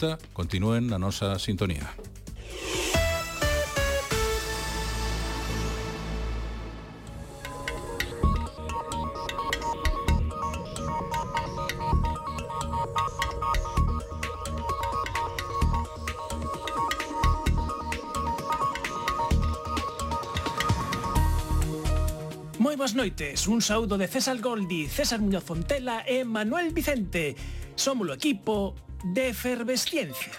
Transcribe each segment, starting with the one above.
gusta, continúen na nosa sintonía. Moi boas noites, un saúdo de César Goldi, César Muñoz Fontela e Manuel Vicente. Somos o equipo de Efervesciencia.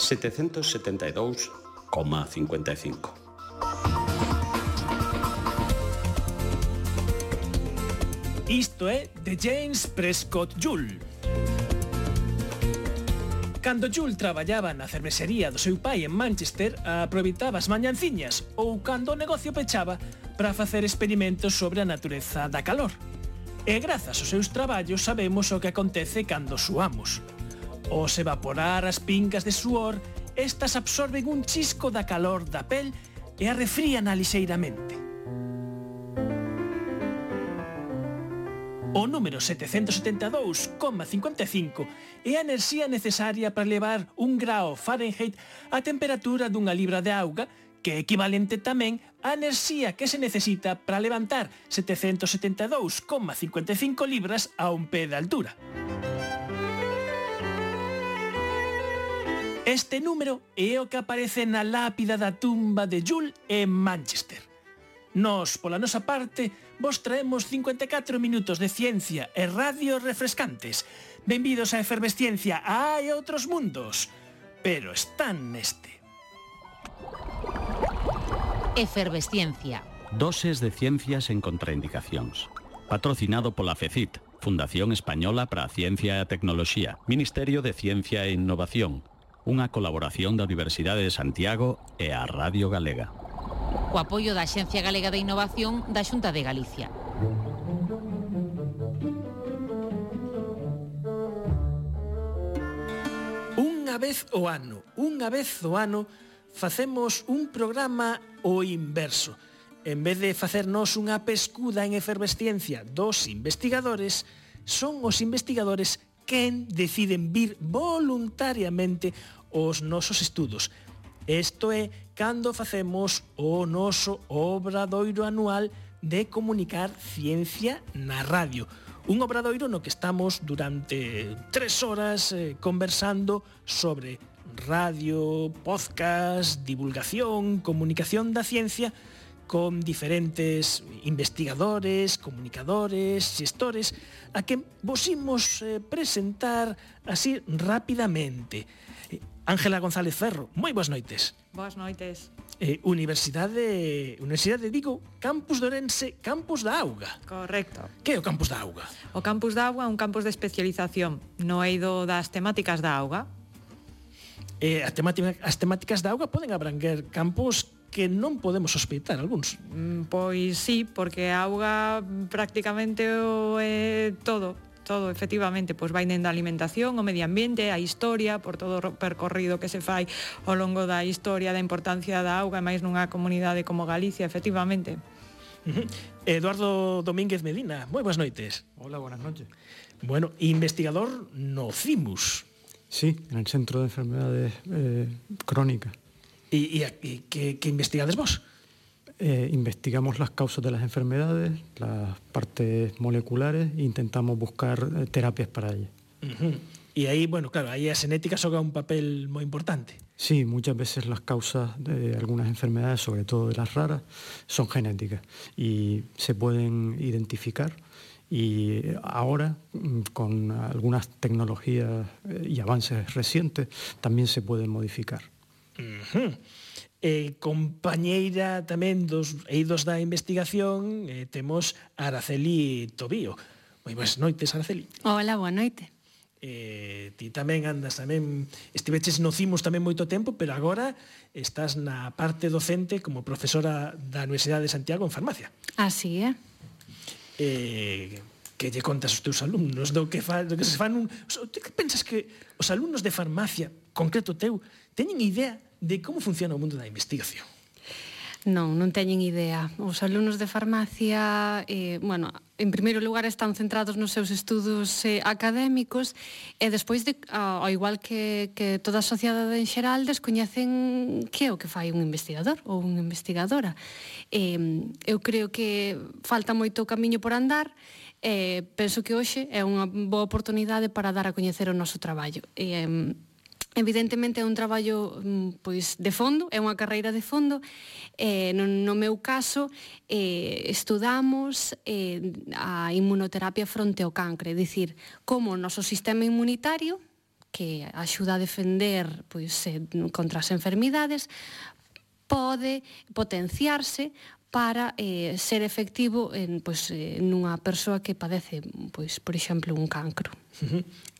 ...772,55. Isto é de James Prescott Joule. Cando Joule traballaba na cervexería do seu pai en Manchester, aproveitaba as mañanciñas ou cando o negocio pechaba para facer experimentos sobre a natureza da calor. E grazas aos seus traballos sabemos o que acontece cando suamos. Os evaporar as pingas de suor, estas absorben un chisco da calor da pel e a refríana lixeiramente. O número 772,55 é a enerxía necesaria para levar 1 grao Fahrenheit a temperatura dunha libra de auga, que é equivalente tamén á enerxía que se necesita para levantar 772,55 libras a un pé de altura. Este número é o que aparece na lápida da tumba de Joule en Manchester. Nós, pola nosa parte, vos traemos 54 minutos de ciencia e radio refrescantes. Benvidos a Efervesciencia, hai outros mundos, pero están neste. Efervesciencia. Doses de ciencias en contraindicacións. Patrocinado pola FECIT, Fundación Española para a Ciencia e a Tecnoloxía, Ministerio de Ciencia e Innovación, unha colaboración da Universidade de Santiago e a Radio Galega. O apoio da Axencia Galega de Innovación da Xunta de Galicia. Unha vez ao ano, facemos un programa o inverso. En vez de facernos unha pescuda en efervesciencia dos investigadores, son os investigadores quen deciden vir voluntariamente aos nosos estudos. Isto é cando facemos o noso obradoiro anual de comunicar ciencia na radio. Un obradoiro no que estamos durante 3 horas conversando sobre radio, podcast, divulgación, comunicación da ciencia con diferentes investigadores, comunicadores, xestores, a que vos imos presentar así rapidamente. Ángela González Ferro, moi boas noites. Boas noites. Universidade de Vigo, Campus de Ourense, Campus da Auga. Correcto. Que é o Campus da Auga? O Campus da Auga é un campus de especialización no eido das temáticas da auga. As temáticas da auga poden abranguer campos que non podemos sospeitar algúns. Pois sí, porque a auga prácticamente é todo, efectivamente, pois vai dende a alimentación, o medio ambiente, a historia, por todo o percorrido que se fai ao longo da historia da importancia da auga, e máis nunha comunidade como Galicia, efectivamente. Eduardo Domínguez Medina, moi boas noites. Hola, buenas noches. Bueno, investigador no CIMUS. Sí, en el Centro de Enfermedades Crónicas. ¿Y qué investigades vos? Investigamos las causas de las enfermedades, las partes moleculares e intentamos buscar terapias para ellas. Y ahí, bueno, claro, ahí la genética juega un papel muy importante. Sí, muchas veces las causas de algunas enfermedades, sobre todo de las raras, son genéticas y se pueden identificar. Y ahora, con algunas tecnologías y avances recientes, también se pueden modificar. Compañeira tamén dos eidos da investigación, temos a Araceli Tobío. Moi boas noites, Araceli. Hola, boa noite. Ti tamén andas, estiveches no CIMUS tamén moito tempo, pero agora estás na parte docente como profesora da Universidade de Santiago en farmacia. Así é. Que lle contas aos teus alumnos do que se fan Ti que pensas que os alumnos de farmacia, concreto teu, teñen idea de como funciona o mundo da investigación? Non teñen idea. Os alumnos de farmacia, en primeiro lugar están centrados nos seus estudos académicos e despois, ao igual que toda a sociedade en xeral, descoñecen que é o que fai un investigador ou unha investigadora. Eu creo que falta moito camiño por andar. Penso que hoxe é unha boa oportunidade para dar a coñecer o noso traballo. Evidentemente é un traballo pois de fondo, é unha carreira de fondo. No meu caso estudamos a inmunoterapia fronte ao cancro, é dicir, como o noso sistema inmunitario, que axuda a defender contra as enfermidades, pode potenciarse para ser efectivo nunha persoa que padece, por exemplo, un cancro.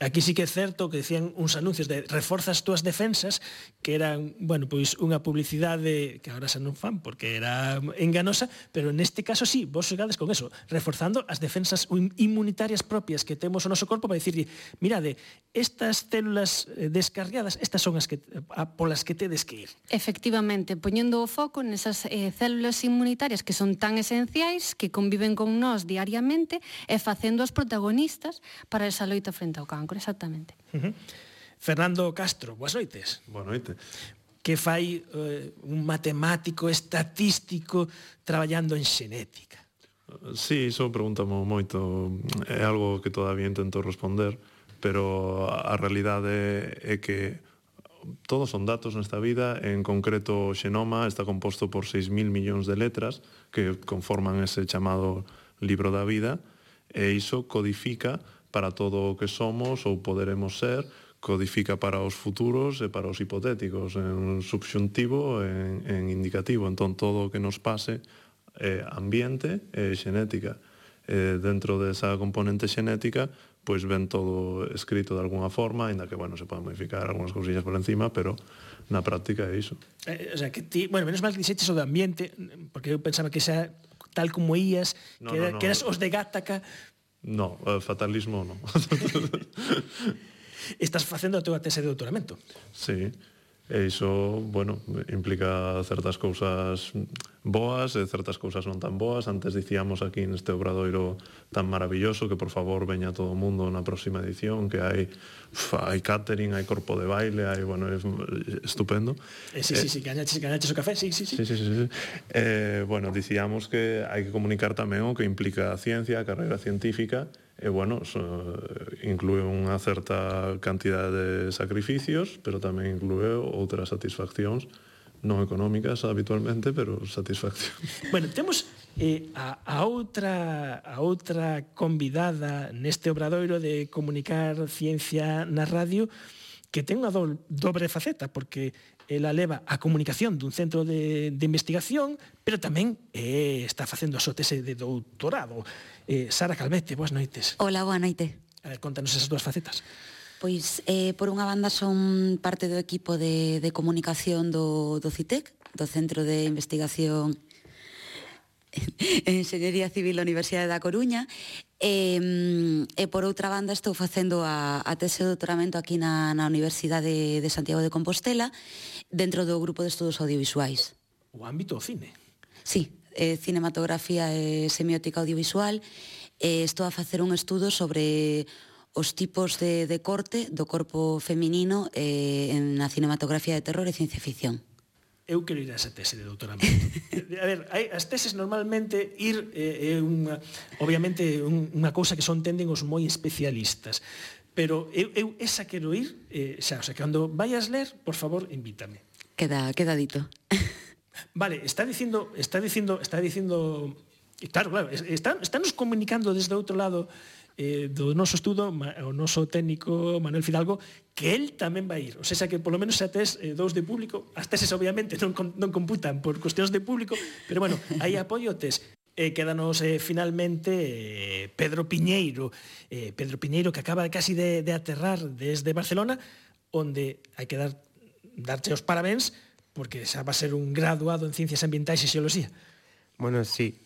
Aquí sí que é certo que decían uns anuncios de reforza as túas defensas, que eran, unha publicidade que agora xa non fan porque era enganosa, pero neste caso sí, vos xogades con eso, reforzando as defensas inmunitarias propias que temos o noso corpo para dicirlle, mirade, estas células descarriadas, estas son as que polas que tedes que ir. Efectivamente, poñendo o foco nesas células inmunitarias que son tan esenciais, que conviven con nós diariamente e facendo as protagonistas para esa loita frente ao cancro, exactamente. Fernando Castro, boas noites. Boa noite. Que fai un matemático estatístico traballando en xenética? Sí, iso pregúntamo moito. É algo que todavía intento responder, pero a realidade é que todos son datos nesta vida, en concreto o xenoma está composto por 6.000 millóns de letras que conforman ese chamado libro da vida, e iso codifica para todo o que somos ou poderemos ser, codifica para os futuros e para os hipotéticos, en subxuntivo e en indicativo. Entón, todo o que nos pase é ambiente e xenética. Dentro desa componente xenética, pois ven todo escrito de alguna forma, ainda que, se poden modificar algunhas cousillas por encima, pero na práctica é iso. O sea, que ti, menos mal que dixeches o do ambiente, porque eu pensaba que xa, tal como ías, que eras os de Gattaca. No, fatalismo non. Estás facendo a túa tese de doutoramento. Sí, e iso, implica certas cousas boas e certas cousas non tan boas. Antes dicíamos aquí neste obradoiro tan maravilloso que por favor veña todo o mundo na próxima edición, que hai catering, hai corpo de baile, hai, é estupendo. Sí, gañaches o café, sí. Dicíamos que hai que comunicar tamén o que implica a ciencia, a carreira científica, e, inclúe unha certa cantidade de sacrificios, pero tamén inclúe outras satisfaccións non económicas habitualmente, pero satisfacción. Temos a outra convidada neste obradoiro de comunicar ciencia na radio, que ten unha dobre faceta, porque ela leva a comunicación dun centro de investigación, pero tamén está facendo a súa tese de doutorado. Sara Calvete, boas noites. Hola, boa noite. A ver, contanos esas dúas facetas. Pois, por unha banda, son parte do equipo de comunicación do CITEC, do Centro de Investigación en Enxeñería Civil da Universidade da Coruña, e por outra banda estou facendo a tese de doutoramento aquí na Universidade de Santiago de Compostela, dentro do grupo de estudos audiovisuais. O ámbito do cine. Sí, cinematografía e semiótica audiovisual. Estou a facer un estudo sobre os tipos de corte do corpo feminino na cinematografía de terror e ciencia ficción. Eu quero ir a esa tese de doutoramento. A ver, as teses normalmente é obviamente unha cousa que son tenden os moi especialistas, pero eu esa quero ir, xa, o sea, que cando vayas ler, por favor, invítame. Queda dito. Vale, está dicindo, claro, estános comunicando desde outro lado do noso estudo, o noso técnico Manuel Fidalgo, que él tamén vai ir. O sea, que polo menos xa tes dous de público. As teses obviamente non computan por cuestións de público, pero aí apoio tes. Quédanos finalmente Pedro Piñeiro, que acaba casi de aterrar desde Barcelona, onde hai que darche os parabéns, porque xa va a ser un graduado en Ciencias Ambientais e Xeoloxía. Sí,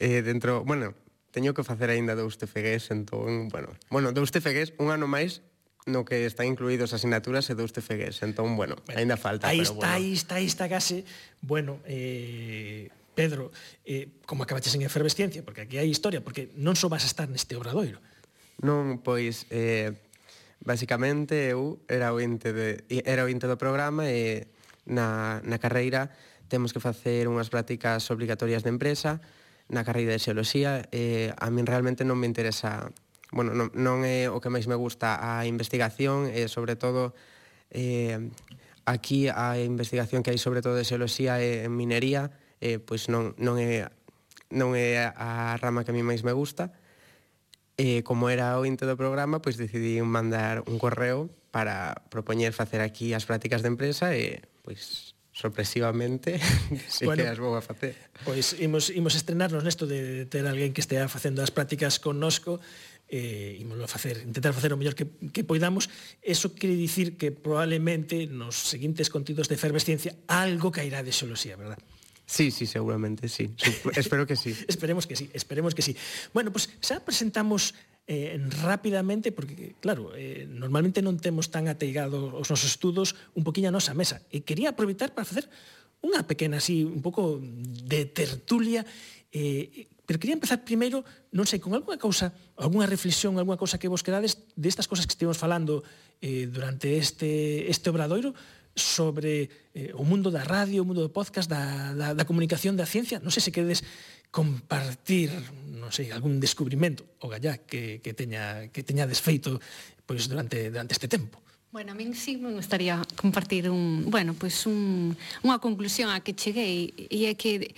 teño que facer aínda dous TFGs, entón, dous TFGs, un ano máis no que están incluídos asignaturas e dous TFGs, entón, aínda falta. Aí está case, Pedro, como acabaches en efervesciencia, porque aquí hai historia, porque non só vas a estar neste obradoiro. Non, pois, basicamente eu era ointe do programa e na carreira temos que facer unhas prácticas obrigatorias de empresa na carreira de Xeoloxía e a min realmente non me interesa, bueno, non é o que máis me gusta a investigación e sobre todo aquí a investigación que hai sobre todo de Xeoloxía e en minería pois non é a rama que a mí máis me gusta. E como era o inte do programa, pois decidí mandar un correo para propoñer facer aquí as prácticas de empresa e, pois, sorpresivamente, si que as vou a facer. Pois imos estrenarnos nesto de ter alguén que estea facendo as prácticas connosco e intentar facer o mellor que poidamos. Eso quere dicir que probablemente nos seguintes contidos de efervesciencia algo cairá de Xeoloxía, verdad? Sí, seguramente, sí. Espero que sí. Esperemos que sí. Bueno, pues xa presentamos rápidamente, porque, claro, normalmente non temos tan ateigado os nosos estudos un poquinho a nosa mesa. E quería aproveitar para facer unha pequena, así, un pouco de tertulia, pero quería empezar primeiro, non sei, con algunha cousa, algunha reflexión, algunha cousa que vos quedades destas cousas que estivemos falando durante este obradoiro, sobre o mundo da radio, o mundo do podcast, da comunicación da ciencia. Non sei se queredes compartir, non sei, algún descubrimento o gallá que teña desfeito pois durante este tempo. Bueno, a min sí me gustaría compartir unha conclusión a que cheguei, e é que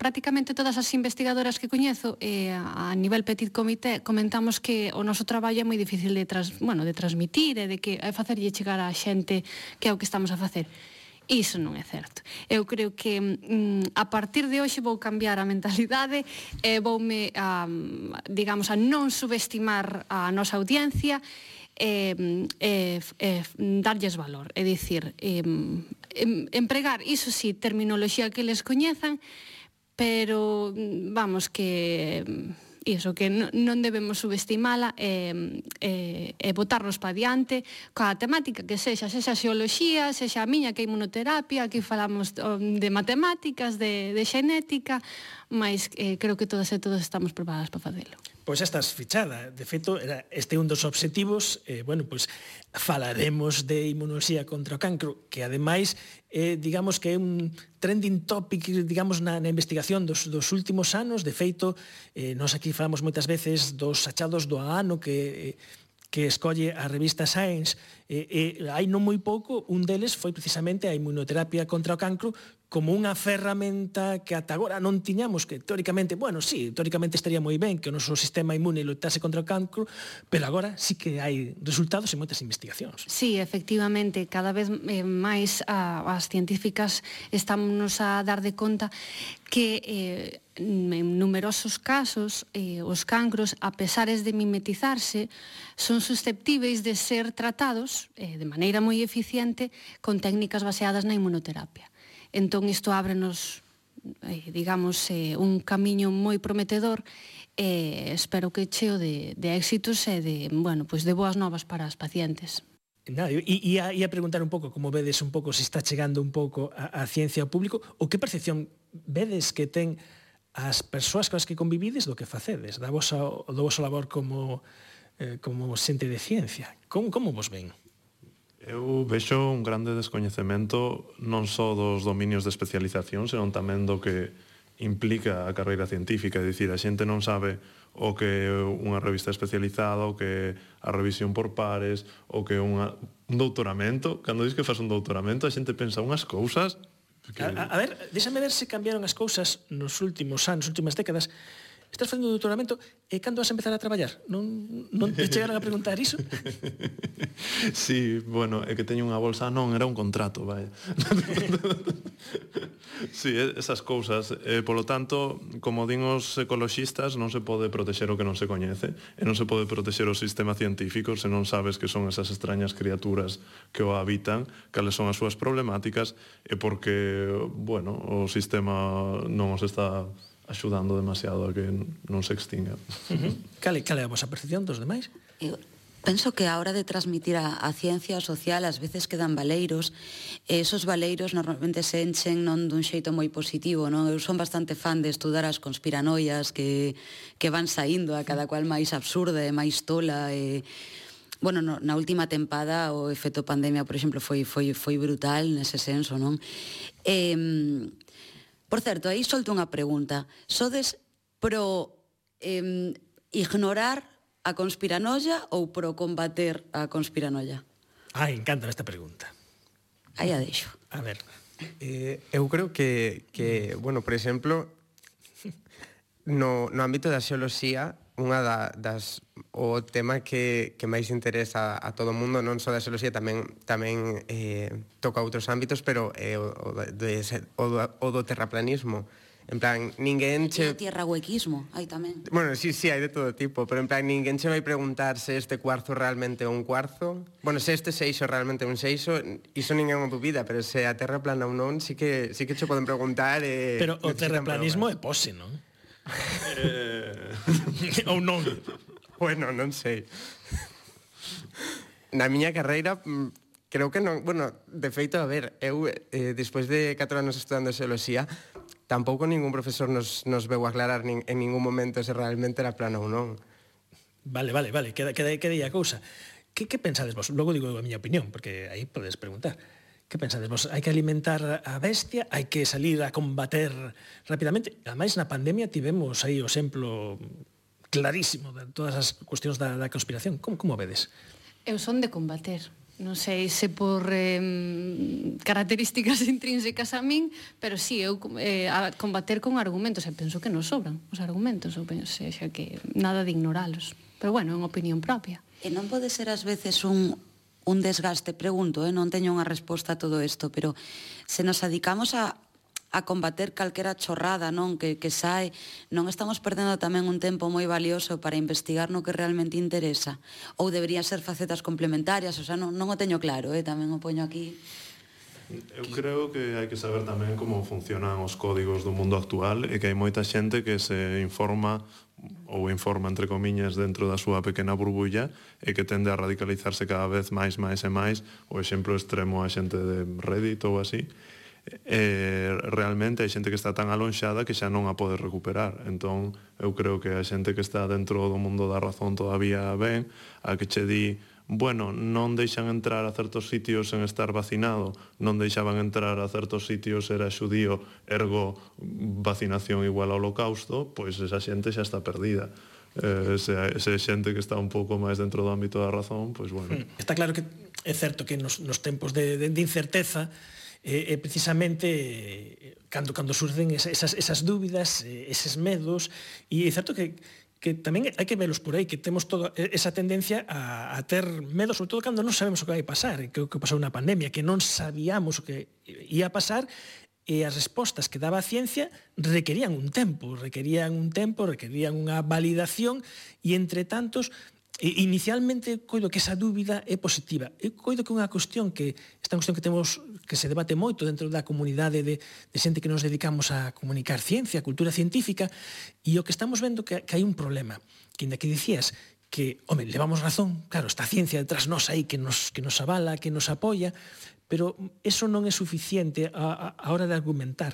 prácticamente todas as investigadoras que coñezo a nivel petit comité comentamos que o noso traballo é moi difícil de transmitir e de que é facerlle chegar á xente que é o que estamos a facer. Iso non é certo. Eu creo que a partir de hoxe vou cambiar a mentalidade e voume a non subestimar a nosa audiencia darlles valor, é dicir, empregar, iso sí, terminoloxía que les coñezan, pero vamos, que iso, que non debemos subestimala e botarnos pa diante coa temática que sexa xeoloxía, sexa a miña que é inmunoterapia, aquí falamos de matemáticas, de xenética, mas creo que todas e todos estamos preparadas para facelo. Pois estás fichada. De feito, este é un dos obxectivos. Falaremos de inmunoloxía contra o cancro, que ademais, digamos que é un trending topic, digamos, na investigación dos últimos anos. De feito, nós aquí falamos moitas veces dos achados do ano que escolle a revista Science, hai non moi pouco, un deles foi precisamente a inmunoterapia contra o cancro como unha ferramenta que ata agora non tiñamos, que teóricamente estaría moi ben que o noso sistema inmune lutase contra o cancro, pero agora sí que hai resultados en moitas investigacións. Sí, efectivamente, cada vez máis as científicas estamos a dar de conta que en numerosos casos os cancros, a pesares de mimetizarse, son susceptíveis de ser tratados de maneira moi eficiente con técnicas baseadas na inmunoterapia. Entón, isto ábrenos, un camiño moi prometedor e espero que cheo de éxitos e de boas novas para as pacientes. Ia preguntar un pouco, como vedes un pouco, se está chegando un pouco a ciencia ao público, ou que percepción vedes que ten as persoas con as que convivides do que facedes, do voso labor como xente de ciencia. Como vos ven? Eu vexo un grande descoñecemento non só dos dominios de especialización, senón tamén do que implica a carreira científica, é dicir, a xente non sabe o que é unha revista especializada, o que é a revisión por pares, o que é un doutoramento. Cando dis que faz un doutoramento, a xente pensa unhas cousas que... A ver, déxame ver se cambiaron as cousas nos últimos anos, últimas décadas. Estás facendo un doutoramento e cando vas a empezar a traballar? Non te chegaron a preguntar iso? Sí, é que teño unha bolsa. Non, era un contrato, vai. Sí, esas cousas. Polo tanto, como din os ecoloxistas, non se pode protexer o que non se coñece e non se pode protexer o sistema científico se non sabes que son esas extrañas criaturas que o habitan, cales son as súas problemáticas e porque, o sistema non os está axudando demasiado a que non se extinga. Cal é a vosa percepción dos demais? Eu penso que a hora de transmitir a ciencia social ás veces quedan baleiros esos baleiros normalmente se enchen non dun xeito moi positivo, non? Eu son bastante fan de estudar as conspiranoias que van saindo a cada cual máis absurda e máis tola e... Bueno, na última tempada o efecto pandemia, por exemplo, foi brutal nese senso, non? Por certo, aí solto unha pregunta. Sodes pro ignorar a conspiranoia ou pro combater a conspiranoia? Encanta esta pregunta. Aí a deixo. A ver. Eu creo que bueno, por exemplo, no ámbito da xeoloxía, unha das o tema que máis interesa a todo o mundo, non só da xeoloxía, tamén toca outros ámbitos, pero o do terraplanismo. En plan, ninguén che... E o tierrahuequismo, hai tamén. Bueno, sí, hai de todo tipo, pero en plan, ninguén che vai preguntar se este cuarzo realmente é un cuarzo. Bueno, se este seixo realmente é un seixo, iso ninguén o dubida, pero se a terra plana ou non, sí que che poden preguntar... Pero o terraplanismo é pose, non? Ou non? Bueno, non sei. Na miña carreira, creo que non... Bueno, de feito, a ver, eu, despois de 4 anos estudando xeoloxía, tampouco ningún profesor nos veu aclarar en ningún momento se realmente era plana ou non. Vale, queda aí a cousa. Que pensades vos? Logo digo a miña opinión, porque aí podes preguntar. Que pensades vos? Hai que alimentar a bestia? Hai que salir a combater rapidamente? Ademais, na pandemia tivemos aí o exemplo clarísimo de todas as cuestións da conspiración. Como vedes? Eu son de combater. Non sei se por características intrínsecas a min, pero sí, eu a combater con argumentos, e penso que nos sobran os argumentos, ou penso que nada de ignoralos. Pero bueno, é unha opinión propia. E non pode ser ás veces un desgaste, pregunto, non teño unha resposta a todo isto, pero se nos dedicamos a combater calquera chorrada, non, que sae, non estamos perdendo tamén un tempo moi valioso para investigar no que realmente interesa? Ou deberían ser facetas complementarias? O sea, non o teño claro, tamén o poño aquí. Eu creo que hai que saber tamén como funcionan os códigos do mundo actual e que hai moita xente que se informa entre comiñas dentro da súa pequena burbulla e que tende a radicalizarse cada vez máis e máis. O exemplo extremo a xente de Reddit ou así. Realmente hai xente que está tan alonxada que xa non a pode recuperar. Entón, eu creo que a xente que está dentro do mundo da razón todavía ben, a que che di, bueno, non deixan entrar a certos sitios sen estar vacinado, non deixaban entrar a certos sitios era xudío, ergo vacinación igual ao holocausto, pois esa xente xa está perdida. Se xente que está un pouco máis dentro do ámbito da razón, pois bueno. Está claro que é certo que nos tempos de incerteza precisamente cando surden esas dúbidas, eses medos, e é certo que tamén hai que velos por aí, que temos toda esa tendencia a ter medo, sobre todo cando non sabemos o que vai pasar, que o que pasou na pandemia, que non sabíamos o que ia pasar, e as respostas que daba a ciencia requerían un tempo, requerían unha validación, e entre tantos, inicialmente coido que esa dúbida é positiva. Eu coido que esta cuestión que temos, que se debate moito dentro da comunidade de xente que nos dedicamos a comunicar ciencia, cultura científica, e o que estamos vendo que hai un problema, que ainda que dicías que, levamos razón, claro, está a ciencia detrás nós aí que nos avala, que nos apoia, pero eso non é suficiente a hora de argumentar,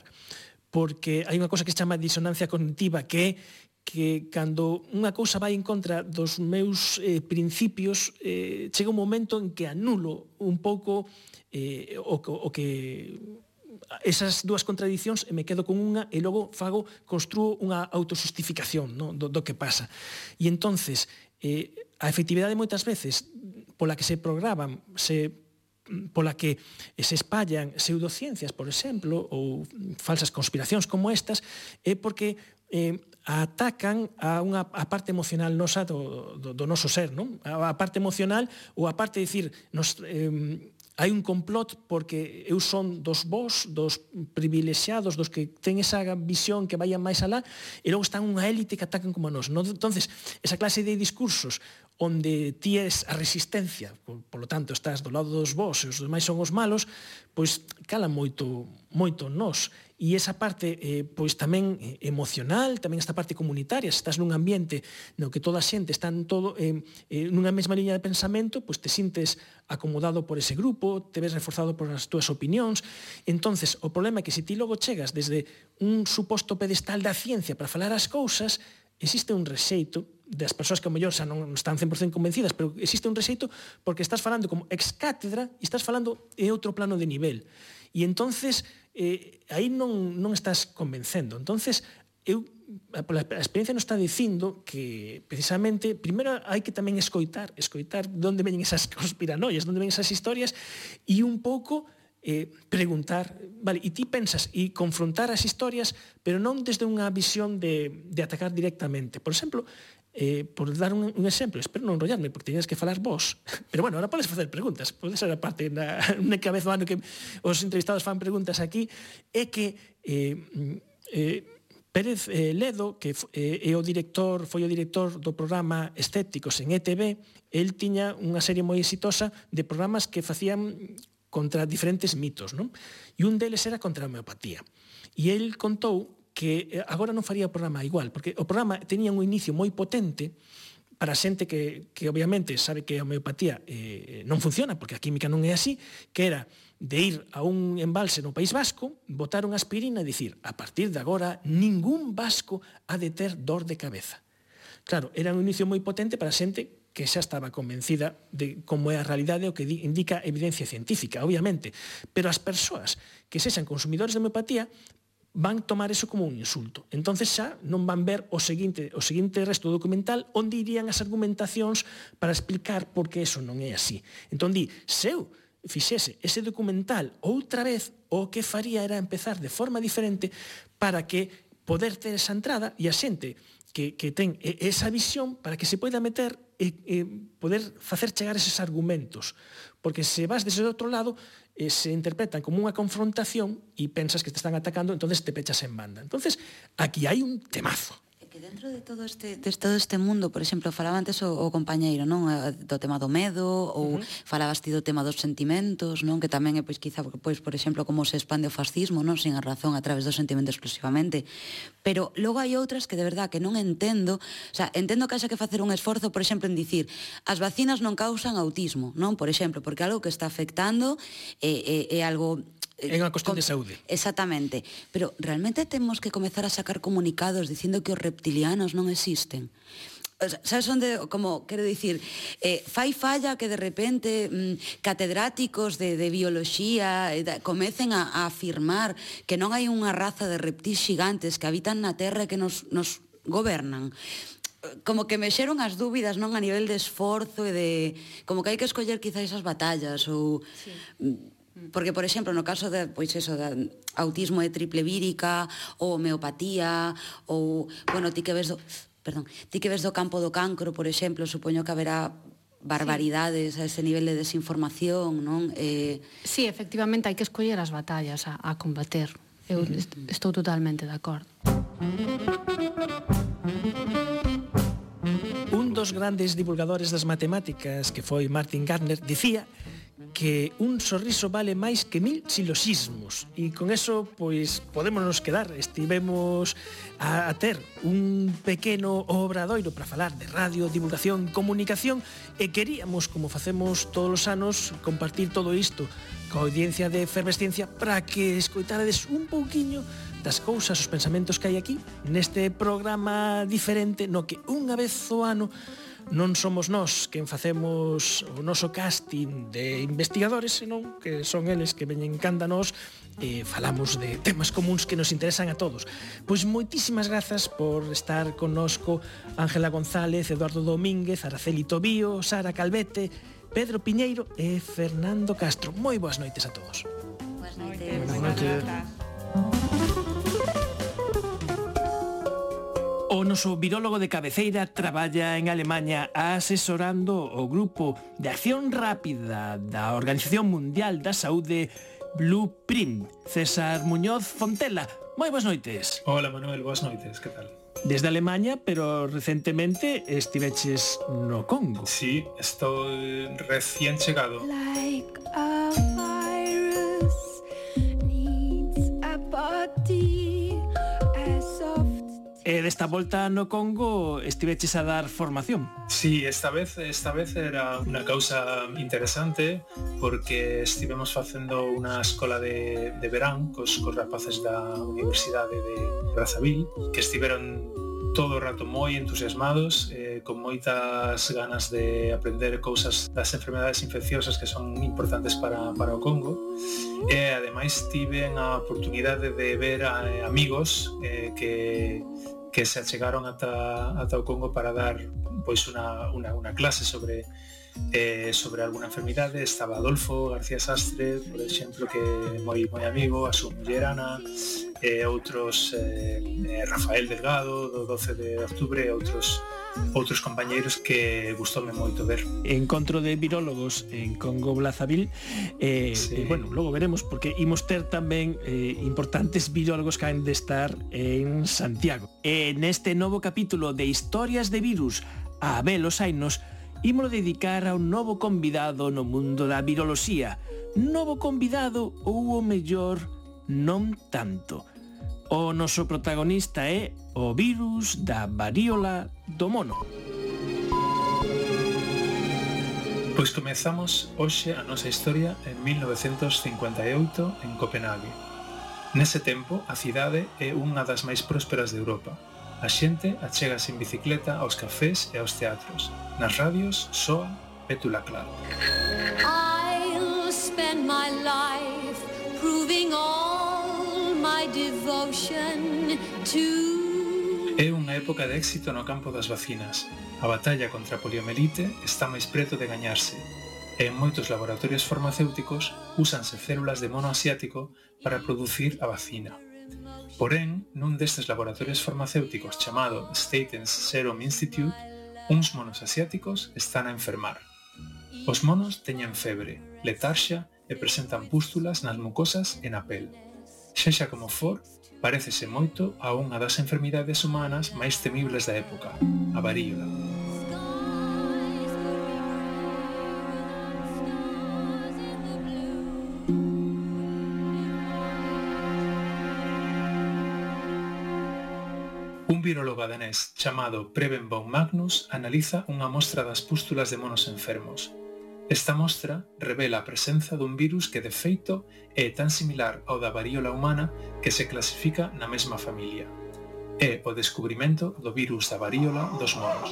porque hai unha cosa que se chama disonancia cognitiva, que cando unha cousa vai en contra dos meus principios, chega un momento en que anulo un pouco o que esas dúas contradicións e me quedo con unha e logo construo unha autosustificación do que pasa. E entonces, a efectividade moitas veces pola que se programan, pola que se espallan pseudociencias, por exemplo, ou falsas conspiracións como estas, é porque atacan a parte emocional nosa do noso ser, non? A parte emocional ou a parte de dicir, hai un complot porque eu son dos vós, dos privilexiados, dos que ten esa visión que vayan máis alá, e logo están unha élite que atacan como a nós. Entonces, esa clase de discursos onde ti és a resistencia, por lo tanto, estás do lado dos vós e os demais son os malos, pois cala moito moito nós. E esa parte pois tamén emocional, tamén esta parte comunitaria, se estás nun ambiente no que toda a xente está nunha mesma liña de pensamento, pois te sintes acomodado por ese grupo, te ves reforzado por as túas opinións. Entonces, o problema é que se ti logo chegas desde un suposto pedestal da ciencia para falar as cousas, existe un rexeito das persoas que ao mellor xa non están 100% convencidas, pero existe un rexeito porque estás falando como ex cátedra e estás falando en outro plano de nivel. E entonces aí non estás convencendo. Entonces, a experiencia nos está dicindo que precisamente primeiro hai que tamén escoitar de onde veñen esas conspiranoias, de onde veñen esas historias, e un pouco preguntar, vale, e ti pensas e confrontar as historias, pero non desde unha visión de atacar directamente. Por exemplo, por dar un exemplo, espero non enrollarme porque tenías que falar vos, pero bueno, ahora podes facer preguntas, pode ser a parte na cabeza do ano que os entrevistados fan preguntas aquí, é que Pérez Ledo, que foi o director do programa Estéticos en ETV, el tiña unha serie moi exitosa de programas que facían contra diferentes mitos, non? E un deles era contra a homeopatía. E el contou que agora non faría o programa igual, porque o programa tenía un inicio moi potente para xente que obviamente sabe que a homeopatía non funciona, porque a química non é así, que era de ir a un embalse no País Vasco, botar unha aspirina e dicir, a partir de agora, ningún vasco ha de ter dor de cabeza. Claro, era un inicio moi potente para xente que xa estaba convencida de como é a realidade o que indica evidencia científica, obviamente, pero as persoas que sexan consumidores de homeopatía van tomar eso como un insulto. Entonces xa non van ver o seguinte resto do documental onde irían as argumentacións para explicar por que eso non é así. Entón di, se eu fixese ese documental outra vez, o que faría era empezar de forma diferente para que poder ter esa entrada e a xente que ten esa visión para que se poida meter e poder facer chegar eses argumentos. Porque se vas desde outro lado, se interpretan como unha confrontación e pensas que te están atacando, entonces te pechas en banda. Entonces, aquí hai un temazo. Que dentro de todo este mundo, por exemplo, falaba antes o compañeiro, non, do tema do medo, ou falabas ti do tema dos sentimentos, non, que tamén é, pois, quizá, pois, por exemplo, como se expande o fascismo, non, sin a razón, a través do sentimento exclusivamente. Pero logo hai outras que de verdad que non entendo, o sea, entendo que haxa que facer un esforzo, por exemplo, en dicir, as vacinas non causan autismo, non, por exemplo, porque algo que está afectando é algo... É unha cuestión de saúde. Exactamente. Pero realmente temos que comezar a sacar comunicados dicindo que os reptilianos non existen. O sea, sabes onde, como, quero dicir, fai falla que de repente catedráticos de bioloxía comecen a afirmar que non hai unha raza de reptís xigantes que habitan na Terra e que nos gobernan. Como que mexeron as dúbidas, non, a nivel de esforzo e de... Como que hai que escoller quizá esas batallas ou... Sí. Porque, por exemplo, no caso de, pois eso, de autismo de triple vírica, ou homeopatía, ou, bueno, ti que ves do campo do cancro, por exemplo, supoño que haberá barbaridades a ese nivel de desinformación, non? Sí, efectivamente, hai que escoller as batallas a combater. Eu estou totalmente de acordo. Un dos grandes divulgadores das matemáticas, que foi Martin Gardner, dicía que un sorriso vale máis que 1000 siloxismos, e con eso pois podémonos quedar. Estivemos a ter un pequeno obradoiro para falar de radio, divulgación, comunicación, e queríamos, como facemos todos os anos, compartir todo isto coa audiencia de Efervesciencia para que escoitarades un pouquiño das cousas, os pensamentos que hai aquí neste programa diferente no que unha vez ao ano non somos nós quen facemos o noso casting de investigadores, senón que son eles que veñen canda nós e falamos de temas comuns que nos interesan a todos. Pois moitísimas grazas por estar connosco Ángela González, Eduardo Domínguez, Araceli Tobío, Sara Calvete, Pedro Piñeiro e Fernando Castro. Moi boas noites a todos. Boas noites. Boas noites. O noso virólogo de cabeceira traballa en Alemanha asesorando o grupo de acción rápida da Organización Mundial da Saúde Blueprint. César Muñoz Fontela, moi boas noites. Hola Manuel, boas noites, que tal? Desde Alemanha, pero recentemente estiveches no Congo. Sí, estou recién chegado. Like a virus needs desta volta no Congo estiveches a dar formación. Sí, esta vez era unha causa interesante porque estivemos facendo unha escola de verán cos rapaces da Universidade de Brazzaville, que estiveron todo o rato moi entusiasmados, con moitas ganas de aprender cousas das enfermedades infecciosas que son importantes para o Congo, e ademais tiven a oportunidade de ver a amigos que se achegaron ata o Congo para dar pois unha clase sobre alguna enfermidade. Estaba Adolfo García Sastre, por exemplo, que é moi amigo, a súa muller Ana, e outros, Rafael Delgado do 12 de octubre, e outros compañeiros que gustoume moito ver. Encontro de virólogos en Congo Brazzaville, sí. Bueno, logo veremos, porque imos ter tamén importantes virólogos que han de estar en Santiago. Neste novo capítulo de Historias de Virus a Abel os Ainos, ímolo dedicar a un novo convidado no mundo da viroloxía. Novo convidado ou o mellor non tanto. O noso protagonista é o virus da varíola do mono. Pois comezamos hoxe a nosa historia en 1958 en Copenhague. Nese tempo, a cidade é unha das máis prósperas de Europa. A xente achégase en bicicleta aos cafés e aos teatros. Nas radios soa Petula Clark. I'll spend my life proving all my devotion to... É unha época de éxito no campo das vacinas. A batalla contra a poliomelite está máis preto de gañarse. E en moitos laboratorios farmacéuticos úsanse células de mono asiático para producir a vacina. Porén, nun destes laboratorios farmacéuticos chamado Statens Serum Institute, uns monos asiáticos están a enfermar. Os monos teñen febre, letarxa e presentan pústulas nas mucosas e na pel. Sexa como for, parécese moito a unha das enfermidades humanas máis temibles da época, a varíola. Un virólogo danés chamado Preben von Magnus analiza unha mostra das pústulas de monos enfermos. Esta mostra revela a presenza dun virus que de feito é tan similar ao da varíola humana que se clasifica na mesma familia. É o descubrimento do virus da varíola dos monos.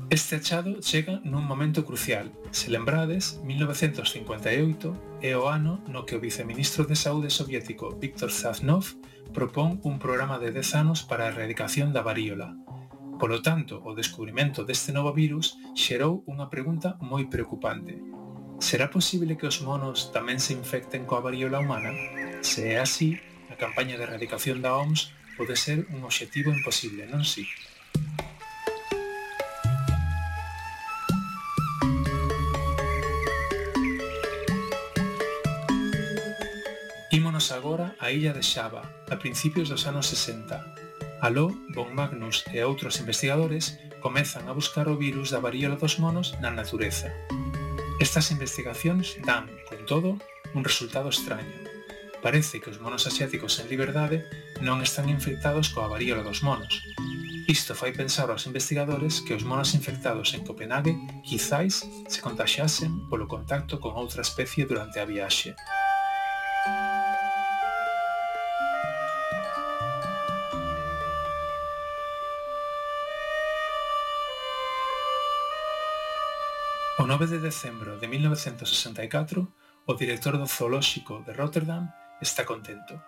Este achado chega nun momento crucial. Se lembrades, 1958 é o ano no que o viceministro de Saúde soviético Viktor Zhdanov propón un programa de 10 anos para a erradicación da varíola. Polo tanto, o descubrimento deste novo virus xerou unha pregunta moi preocupante. Será posible que os monos tamén se infecten coa varíola humana? Se é así, a campaña de erradicación da OMS pode ser un obxectivo imposible, non si? Ímonos agora á illa de Xava, a principios dos anos 60. Aló, von Magnus e outros investigadores comezan a buscar o virus da varíola dos monos na natureza. Estas investigacións dan, con todo, un resultado extraño. Parece que os monos asiáticos en liberdade non están infectados coa varíola dos monos. Isto fai pensar aos investigadores que os monos infectados en Copenhague quizáis se contaxiasen polo contacto con outra especie durante a viaxe. O 9 de decembro de 1964, o director do Zoolóxico de Rotterdam está contento.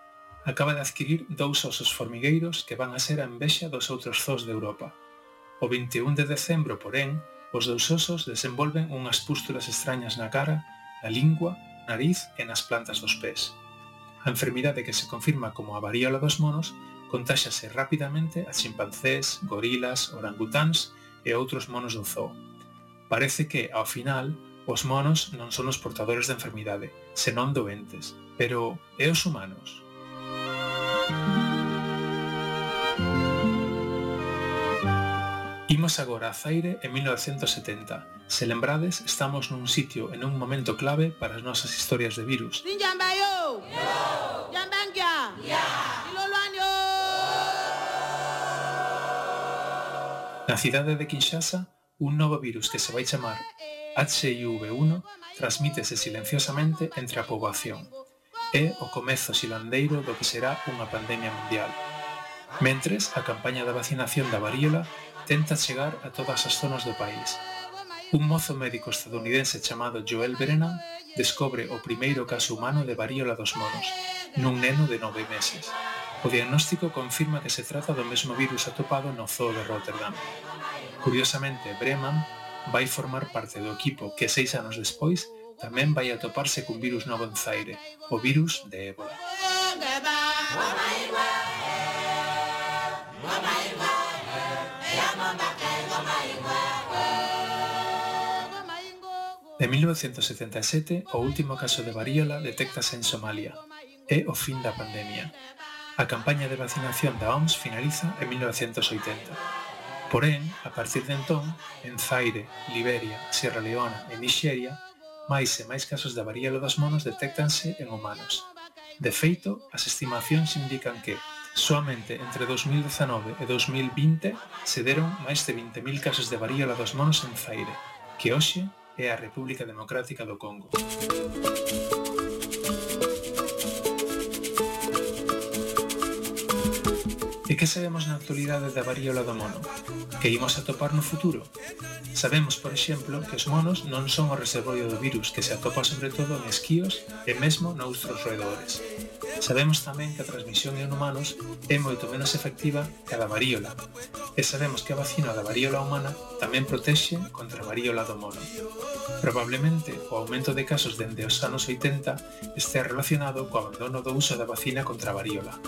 Acaba de adquirir 2 osos formigueiros que van a ser a envexa dos outros zoos de Europa. O 21 de decembro, porén, os 2 osos desenvolven unhas pústulas extrañas na cara, na lingua, nariz e nas plantas dos pés. A enfermidade que se confirma como a varíola dos monos contáxase rapidamente a chimpancés, gorilas, orangutáns e outros monos do zoo. Parece que, ao final, os monos non son os portadores da enfermidade, senón doentes. Pero, e os humanos? Imos agora a Zaire en 1970. Se lembrades, estamos nun sitio en un momento clave para as nosas historias de virus. Na cidade de Kinshasa, un novo virus que se vai chamar HIV-1 transmítese silenciosamente entre a poboación. É o comezo silandeiro do que será unha pandemia mundial. Mentres, a campaña da vacinación da varíola tenta chegar a todas as zonas do país. Un mozo médico estadounidense chamado Joel Brennan descobre o primeiro caso humano de varíola dos monos, nun neno de 9 meses. O diagnóstico confirma que se trata do mesmo virus atopado no zoo de Rotterdam. Curiosamente, Brennan vai formar parte do equipo que 6 anos despois tamén vai atoparse cun virus novo en Zaire, o virus de ébola. En 1977, o último caso de varíola detéctase en Somalia. É o fin da pandemia. A campaña de vacinación da OMS finaliza en 1980. Porén, a partir de entón, en Zaire, Liberia, Sierra Leona e Nixeria, máis e máis casos da varíola dos monos detéctanse en humanos. De feito, as estimacións indican que, soamente entre 2019 e 2020, se deron máis de 20.000 casos de varíola dos monos en Zaire, que hoxe é a República Democrática do Congo. E que sabemos na actualidade da varíola do mono? Que imos atopar no futuro? Sabemos, por exemplo, que os monos non son o reservorio do virus, que se atopa sobre todo en esquíos e mesmo noutros roedores. Sabemos tamén que a transmisión en humanos é moito menos efectiva que a da varíola. E sabemos que a vacina da varíola humana tamén protexe contra a varíola do mono. Probablemente o aumento de casos dende os anos 80 este relacionado co abandono do uso da vacina contra a varíola.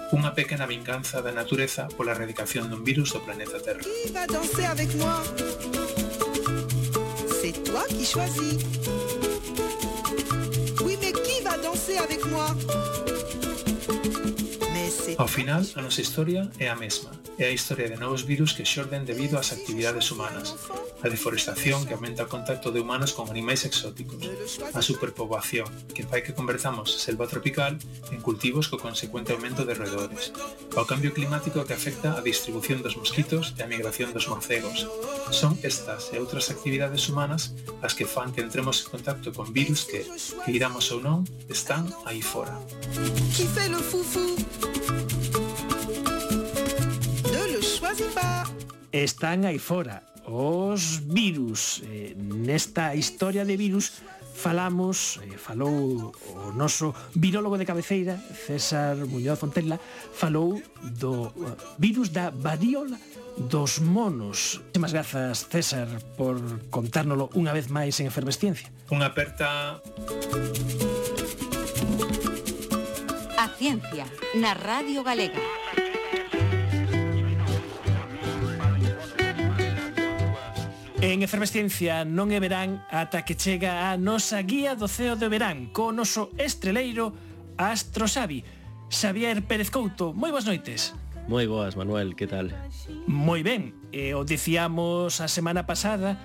Unha pequena vinganza da natureza pola erradicación dun virus do planeta Terra. Qui va danser avec moi? C'est toi qui choisis. Oui, mais qui va danser avec moi? Ao final, a nosa historia é a mesma. É a historia de novos virus que xorden debido ás actividades humanas, a deforestación que aumenta o contacto de humanos con animais exóticos, a superpoboación que fai que convertamos selva tropical en cultivos co consecuente aumento de roedores, ao cambio climático que afecta a distribución dos mosquitos e a migración dos morcegos. Son estas e outras actividades humanas as que fan que entremos en contacto con virus que, queiramos ou non, están aí fora. Qui fait le foufou? Ne le choisis pas. Están aí fora os virus. Nesta historia de virus falamos, falou o noso virólogo de cabeceira, César Muñoz Fontella, falou do virus da varíola dos monos. Moitas grazas, César, por contárnolo unha vez máis en Efervesciencia. Unha aperta... A ciencia, na Radio Galega. En Efervesciencia non é verán ata que chega a nosa guía do ceo de verán co noso estreleiro Astrosavi, Xavier Pérez Couto. Moi boas noites. Moi boas, Manuel, que tal? Moi ben, o dicíamos a semana pasada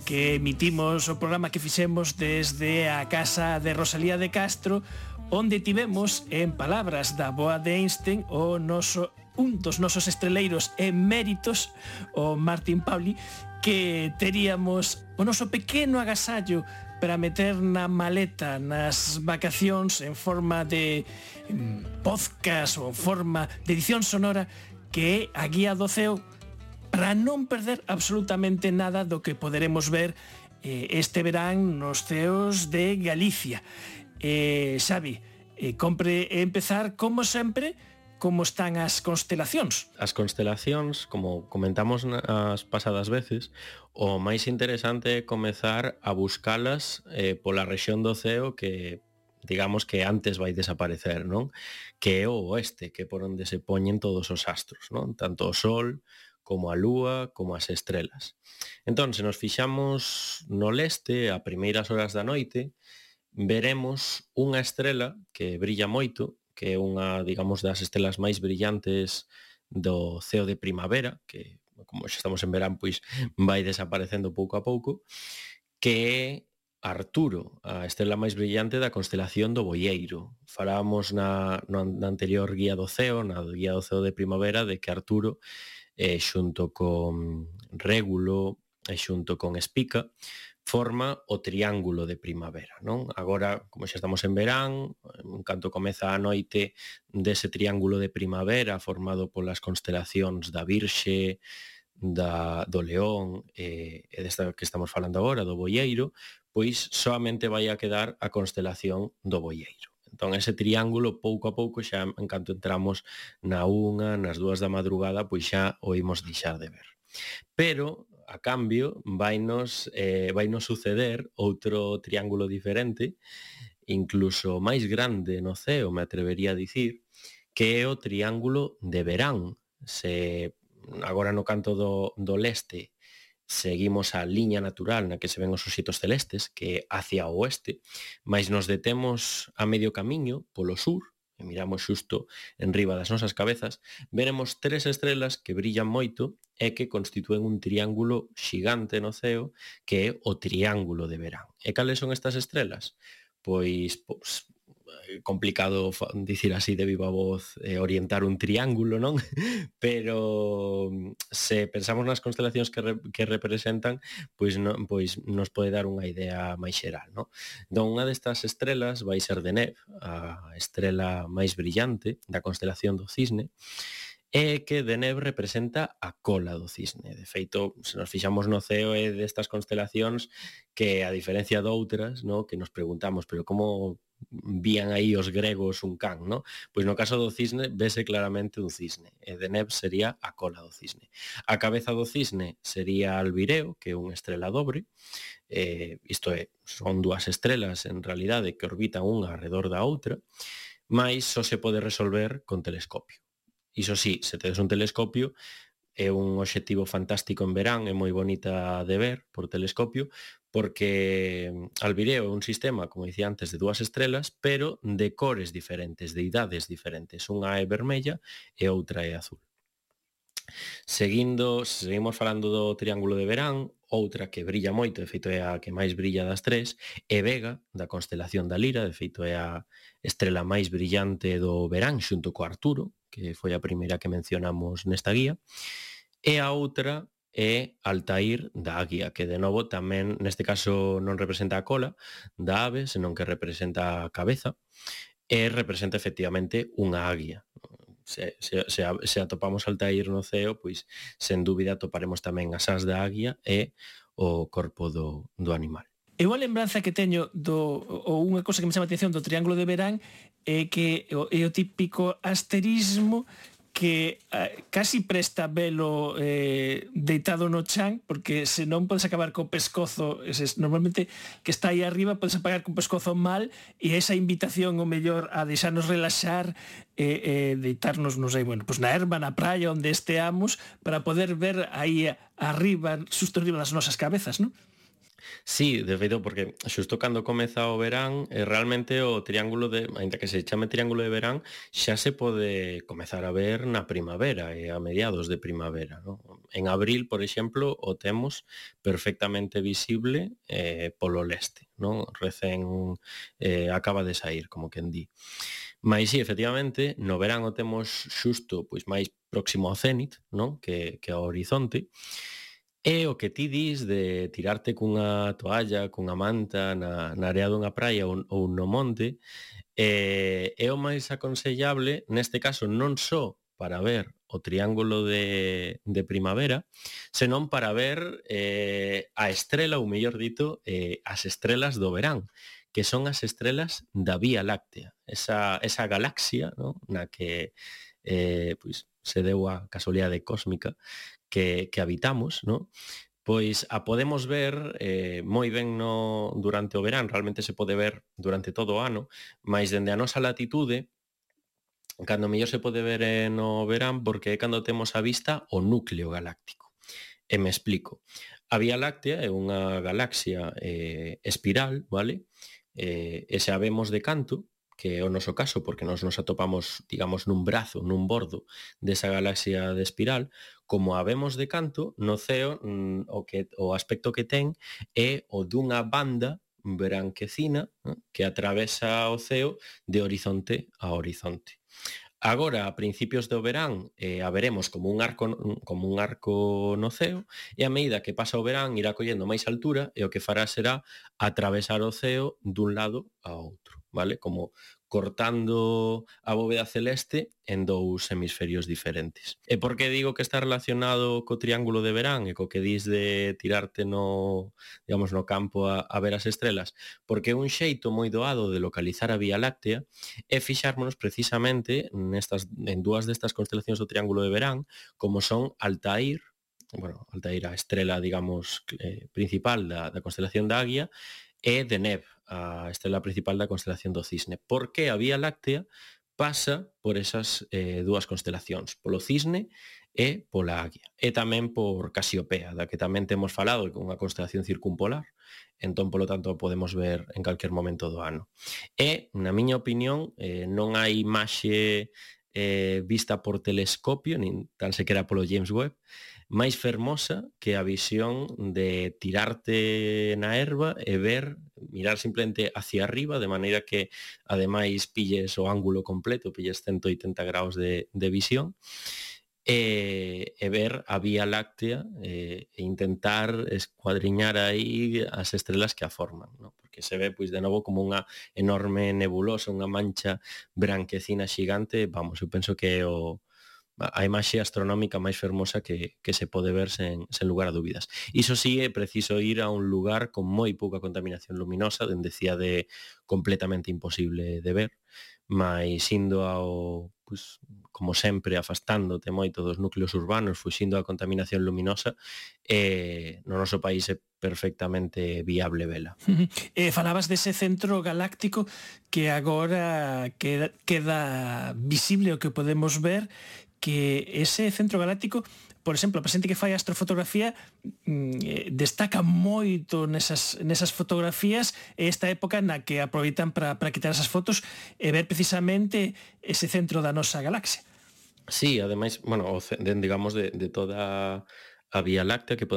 que emitimos o programa que fixemos desde a casa de Rosalía de Castro, onde tivemos, en palabras da boa de Einstein, un dos nosos estreleiros eméritos, o Martín Pauli, que teríamos o noso pequeno agasallo para meter na maleta nas vacacións en forma de podcast ou en forma de edición sonora, que é a guía do ceo, para non perder absolutamente nada do que poderemos ver este verán nos ceos de Galicia. Xavi, compre empezar, como sempre, como están as constelacións. As constelacións, como comentamos as pasadas veces, o máis interesante é comezar a buscalas pola rexión do ceo que, digamos, que antes vai desaparecer, non? Que é o oeste, que é por onde se poñen todos os astros, non? Tanto o Sol, como a Lúa, como as estrelas. Entón, se nos fixamos no leste, a primeiras horas da noite, veremos unha estrela que brilla moito, que é unha, digamos, das estrelas máis brillantes do ceo de primavera, que como xa estamos en verán, pois vai desaparecendo pouco a pouco, que é Arturo, a estrela máis brillante da constelación do Boieiro. Falábamos na anterior guía do ceo, na guía do ceo de primavera, de que Arturo, xunto con Régulo e xunto con Espica, forma o triángulo de primavera, non? Agora, como xa estamos en verán, en canto comeza a noite dese triángulo de primavera formado polas constelacións da Virxe, do León e desta que estamos falando agora, do Boieiro, pois soamente vai a quedar a constelación do Boieiro. Entón, ese triángulo, pouco a pouco, xa en canto entramos na 1, nas 2 da madrugada, pois xa o imos deixar de ver. Pero, a cambio, vainos suceder outro triángulo diferente, incluso máis grande no ceo, me atrevería a dicir, que é o triángulo de verán. Se agora no canto do leste seguimos a liña natural na que se ven os ositos celestes, que é hacia o oeste, mas nos detemos a medio camiño polo sur, e miramos xusto en riba das nosas cabezas, veremos 3 estrelas que brillan moito e que constitúen un triángulo xigante no ceo, que é o triángulo de verán. E cales son estas estrelas? Pois complicado dicir así de viva voz, orientar un triángulo, non? Pero se pensamos nas constelacións que representan, pois nos pode dar unha idea máis xeral, non? Entón, unha destas estrelas vai ser Deneb, a estrela máis brillante da constelación do Cisne, é que Deneb representa a cola do cisne. De feito, se nos fixamos no ceo é destas constelacións que, a diferencia doutras, no, que nos preguntamos, pero como vían aí os gregos un can, no? Pois no caso do cisne vese claramente un cisne, e Deneb sería a cola do cisne. A cabeza do cisne sería Albireo, que é unha estrela dobre, isto é, son 2 estrelas en realidade que orbitan unha arredor da outra, mas só se pode resolver con telescopio. Iso sí, se tedes un telescopio, é un obxectivo fantástico en verán, é moi bonita de ver por telescopio, porque Albireo é un sistema, como dicía antes, de 2 estrelas, pero de cores diferentes, de idades diferentes. Unha é vermella e outra é azul. Seguimos falando do triángulo de verán, outra que brilla moito, de feito é a que máis brilla das 3, é Vega, da constelación da Lira, de feito é a estrela máis brillante do verán, xunto co Arturo, que foi a primeira que mencionamos nesta guía, e a outra é Altair da Águia, que de novo tamén, neste caso, non representa a cola da ave, senón que representa a cabeza, e representa efectivamente unha águia. Se atopamos Altair no ceo, pois, sen dúbida, atoparemos tamén as ás da águia e o corpo do animal. E unha lembranza que teño ou unha cosa que me chama a atención do triángulo de verán é que é o típico asterismo que casi presta velo deitado no chan, porque se non podes acabar co pescozo, normalmente que está aí arriba podes apagar co pescozo mal, e esa invitación o mellor a deixarnos relaxar e deitarnos, non sei, bueno, pues na erva, na praia, onde esteamos, para poder ver aí arriba, xusto arriba das nosas cabezas, non? Sí, de feito, porque xusto cando comeza o verán, realmente o triángulo ainda que se chame triángulo de verán, xa se pode comezar a ver na primavera e a mediados de primavera, ¿no? En abril, por exemplo, o temos perfectamente visible polo leste, ¿no? Recén acaba de sair, como quen di. Mais sí, efectivamente, no verán o temos xusto pois máis próximo ao cénit, ¿no? que ao horizonte. É o que ti dis de tirarte cunha toalla, cunha manta na area dunha praia ou no monte, é o máis aconsellable, neste caso non só para ver o triángulo de primavera, senón para ver a estrela, ou mellor dito, as estrelas do verán, que son as estrelas da Vía Láctea, esa galaxia, ¿no? Na que pois, se deu a casualidade cósmica que habitamos, ¿no? Pois a podemos ver moi ben durante o verán, realmente se pode ver durante todo o ano, mas dende a nosa latitude, cando mellor se pode ver no verán, porque é cando temos a vista o núcleo galáctico. E me explico. A Vía Láctea é unha galaxia espiral, vale? E se a vemos de canto, que é o noso caso, porque nos atopamos, digamos, nun brazo, nun bordo desa galaxia de espiral, como a vemos de canto, no ceo o aspecto que ten é o dunha banda branquecina que atravesa o ceo de horizonte a horizonte. Agora, a principios do verán, haberemos como un arco no ceo, e a medida que pasa o verán irá collendo máis altura e o que fará será atravesar o ceo dun lado a outro, vale? Como cortando a bóveda celeste en dous hemisferios diferentes. E por que digo que está relacionado co triángulo de verán e co que dis de tirarte no campo a ver as estrelas? Porque un xeito moi doado de localizar a Vía Láctea é fixármonos precisamente en dúas destas constelacións do triángulo de verán, como son Altair, a estrela, digamos, principal da constelación da Águia, e Deneb, a estrela principal da constelación do Cisne. Porque a Vía Láctea pasa por esas dúas constelacións, polo Cisne e pola Águia. E tamén por Casiopea, da que tamén temos falado, que é unha constelación circumpolar, entón, polo tanto, podemos ver en calquer momento do ano. E, na miña opinión, non hai imaxe vista por telescopio, nin tan sequera polo James Webb, máis fermosa que a visión de tirarte na herba e mirar simplemente hacia arriba, de maneira que ademais pilles o ángulo completo, pilles 180 graus de visión, e ver a Vía Láctea e intentar escuadriñar aí as estrelas que a forman, ¿no? Porque se ve, pois, de novo como unha enorme nebulosa, unha mancha branquecina xigante. Vamos, eu penso que é a imaxe astronómica máis fermosa que se pode ver sen lugar a dúbidas. Iso sí, é preciso ir a un lugar con moi pouca contaminación luminosa, dende cidade completamente imposible de ver, mas indo ao, pois, como sempre, afastándote moito dos núcleos urbanos, fuxindo a contaminación luminosa, no noso país é perfectamente viable vela. Falabas dese centro galáctico que agora queda visible, o que podemos ver, que ese centro galáctico, por exemplo, a presente que fai astrofotografía, destaca moito nesas fotografías esta época na que aproveitan para quitar esas fotos e ver precisamente ese centro da nosa galaxia. Sí, ademais, digamos, de toda a Vía Láctea que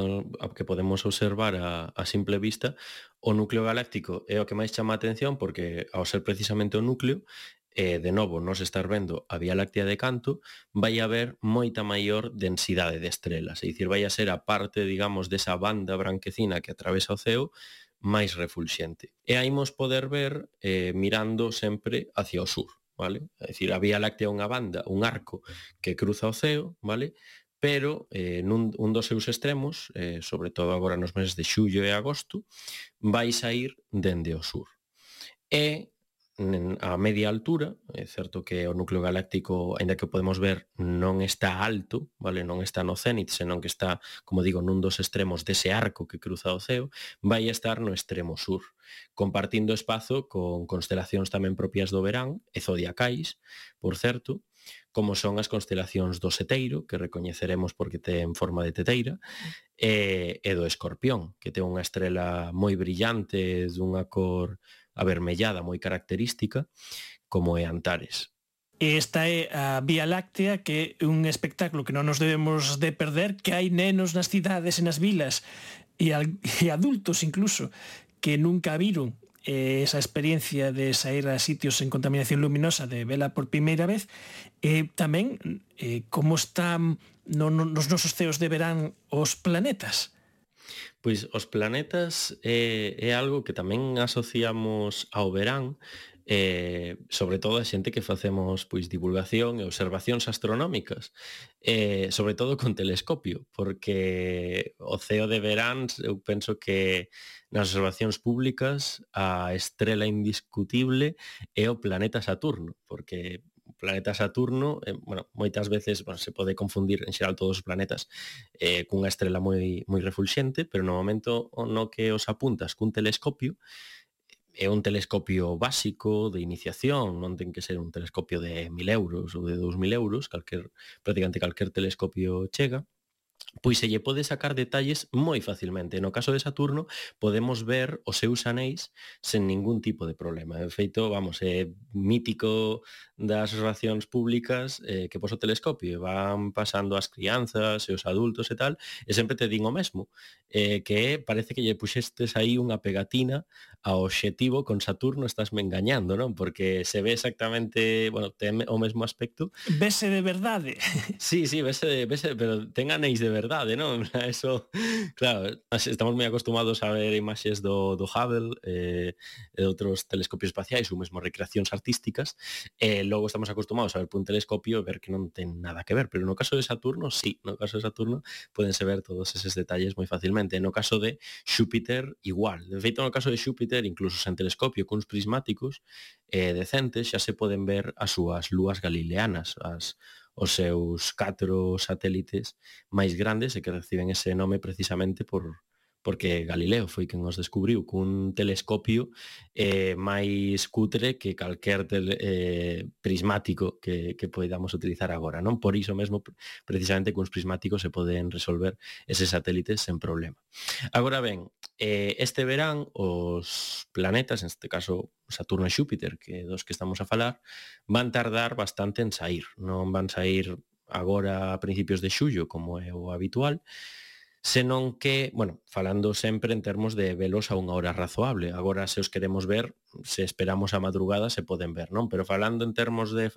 podemos observar a simple vista, o núcleo galáctico é o que máis chama a atención, porque ao ser precisamente o núcleo, de novo, nos estar vendo a Vía Láctea de canto, vai haber moita maior densidade de estrelas, é dicir, vai a ser a parte, digamos, desa banda branquecina que atravesa o ceo máis refulxente. E aí imos poder ver mirando sempre hacia o sur, vale? É dicir, a Vía Láctea é unha banda, un arco que cruza o ceo, vale? Pero un dos seus extremos, sobre todo agora nos meses de xullo e agosto, vai sair dende o sur. E a media altura, é certo que o núcleo galáctico, aínda que o podemos ver, non está alto, vale, non está no cénit, senón que está, como digo, nun dos extremos dese arco que cruza o ceo, vai estar no extremo sur, compartindo espazo con constelacións tamén propias do verán e zodiacais, por certo, como son as constelacións do Seteiro, que recoñeceremos porque ten forma de teteira, e do Escorpión, que ten unha estrela moi brillante, dunha cor avermellada moi característica, como é Antares. Esta é a Vía Láctea, que é un espectáculo que non nos debemos de perder, que hai nenos nas cidades e nas vilas, e adultos incluso, que nunca viron esa experiencia de sair a sitios en contaminación luminosa, de vela por primeira vez, e tamén como están nos nosos ceos de verán os planetas. Pois os planetas é algo que tamén asociamos ao verán, sobre todo a xente que facemos, pois, divulgación e observacións astronómicas, sobre todo con telescopio, porque o ceo de verán, eu penso que nas observacións públicas a estrela indiscutible é o planeta Saturno, porque o planeta Saturno, moitas veces se pode confundir en xeral todos os planetas cunha estrela moi refulxente, pero no momento no que os apuntas cun telescopio, é un telescopio básico de iniciación, non ten que ser un telescopio de 1.000 euros ou de 2.000 euros, prácticamente calquer telescopio chega, pois se lle pode sacar detalles moi facilmente. No caso de Saturno, podemos ver os seus anéis sen ningún tipo de problema. De feito, vamos, é mítico das relacións públicas que pos o telescopio van pasando as crianzas e os adultos e tal, e sempre te din o mesmo, que parece que lle puxestes aí unha pegatina ao obxectivo con Saturno, estásme engañando, non? Porque se ve exactamente, bueno, ten o mesmo aspecto. Vese de verdade. Sí, vese, pero ten anéis de verdade, non? Eso, claro, estamos moi acostumados a ver imaxes do Hubble e de outros telescopios espaciais ou mesmo recreacións artísticas, e logo estamos acostumados a ver por un telescopio e ver que non ten nada que ver, pero no caso de Saturno, sí, no caso de Saturno podense ver todos eses detalles moi facilmente. No caso de Xúpiter, igual. De feito, no caso de Xúpiter, incluso sen telescopio, cuns prismáticos decentes, xa se poden ver as súas lúas galileanas, os seus 4 satélites máis grandes e que reciben ese nome precisamente porque Galileo foi quen os descubriu cun telescopio máis cutre que calquer prismático que podamos utilizar agora, non? Por iso mesmo, precisamente, cuns prismáticos se poden resolver eses satélites sen problema. Agora ben, este verán os planetas, neste caso Saturno e Xúpiter, que dos que estamos a falar, van tardar bastante en sair. Non van sair agora a principios de xullo, como é o habitual, senón que, bueno, falando sempre en termos de velos a unha hora razoable. Agora, se os queremos ver, se esperamos a madrugada, se poden ver, non? Pero falando en termos de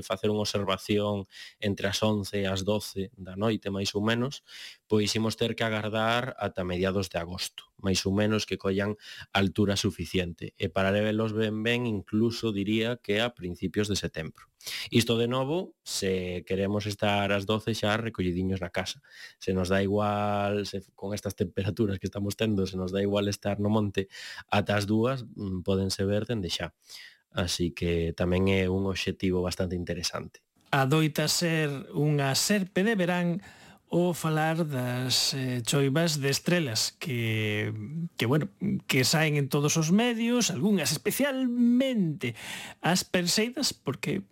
facer unha observación entre as 11 e as 12 da noite, máis ou menos, pois imos ter que agardar ata mediados de agosto, máis ou menos, que collan altura suficiente. E para velos ben, incluso diría que a principios de setembro. Isto de novo, se queremos estar ás 12 xa recollidiños na casa. Se nos dá igual, con estas temperaturas que estamos tendo, se nos dá igual estar no monte ata as 2, pódense ver dende xa. Así que tamén é un obxectivo bastante interesante. Adoita ser unha serpe de verán o falar das choivas de estrelas que saen en todos os medios, algunhas especialmente as Perseidas, porque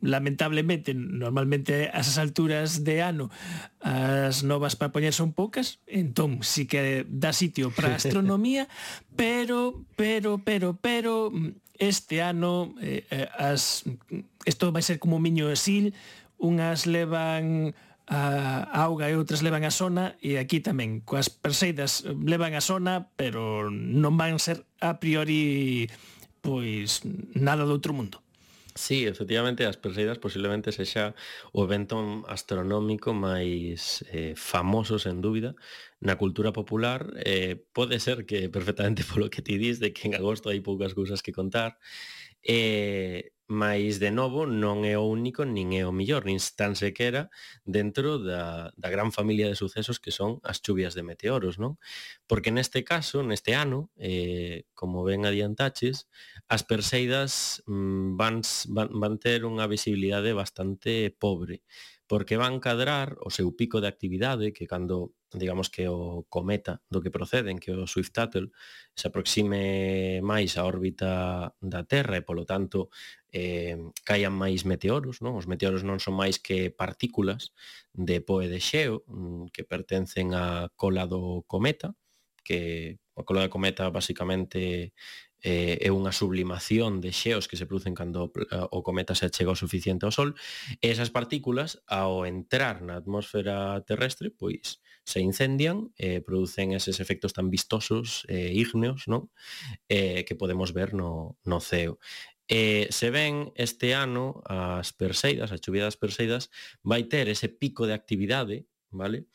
lamentablemente, normalmente a esas alturas de ano as novas para poñer son poucas, entón sí que dá sitio para a astronomía, pero este ano isto vai ser como un miño exil, unhas levan a auga e outras levan a sona, e aquí tamén coas Perseidas levan a sona, pero non van ser a priori pois nada do outro mundo. Sí, efectivamente, as Perseidas posiblemente sexa o evento astronómico máis famoso, sen dúbida, na cultura popular. Pode ser que perfectamente polo que ti dis, de que en agosto hai poucas cousas que contar, mais de novo non é o único nin é o millor, nin tan sequera dentro da gran familia de sucesos que son as chuvias de meteoros, non? Porque neste caso, neste ano, como ben adiantaches, as Perseidas van ter unha visibilidade bastante pobre, porque van cadrar o seu pico de actividade, que cando, digamos, que o cometa do que proceden, que o Swift-Tuttle, se aproxime máis á órbita da Terra e, polo tanto, caian máis meteoros, non? Os meteoros non son máis que partículas de po e de xeo que pertencen á cola do cometa, que a cola do cometa basicamente é unha sublimación de xeos que se producen cando o cometa se achega o suficiente ao Sol, e esas partículas, ao entrar na atmosfera terrestre, pois se incendian e producen eses efectos tan vistosos e ígneos, non? Que podemos ver no ceo. Se ven este ano as Perseidas, a chuvia das Perseidas, vai ter ese pico de actividade, vale?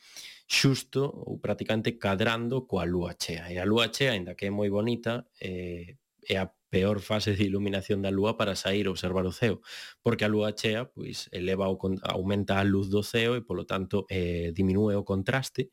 Xusto ou prácticamente cadrando coa lúa chea. E a lúa chea, aínda que é moi bonita, é a peor fase de iluminación da lúa para sair a observar o ceo, porque a lúa chea pois aumenta a luz do ceo e, polo tanto, diminúe o contraste